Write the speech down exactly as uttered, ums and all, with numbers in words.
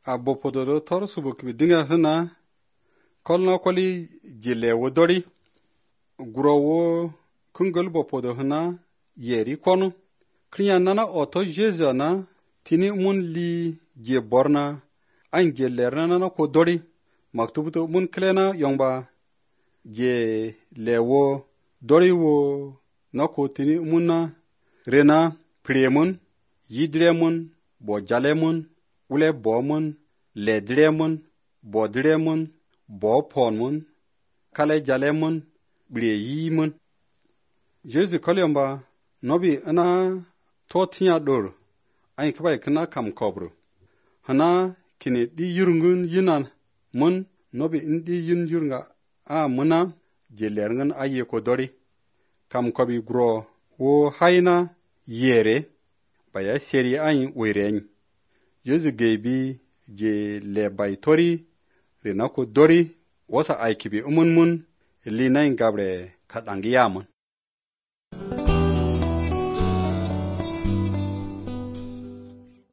a bopodo tor subu kibi dinga sana kolna koli jile wodori guro wo kungol bopodo hana yeri konu kriya nana oto jesu na tini mun li je borna an je lerna na ko dori maktubuto mun klena yongba je lewo dori wo na ko tini munna rena premun yidremun bo jalemun ule bomun ledremun bodremun bo ponmun kale jalemun bre yimun jesu kolyamba nobi ana totinya dor ay kbay kana kam kobro hana kini di yurungun yinan mun nobi indi yun yurunga a muna jelerngan aye ko dori kam kobi gro wo hayna yere baya seri ay wiren jesu gebi je le bay tori rena ko dori wasa ay kibi umun mun linain gabre kadangiyamun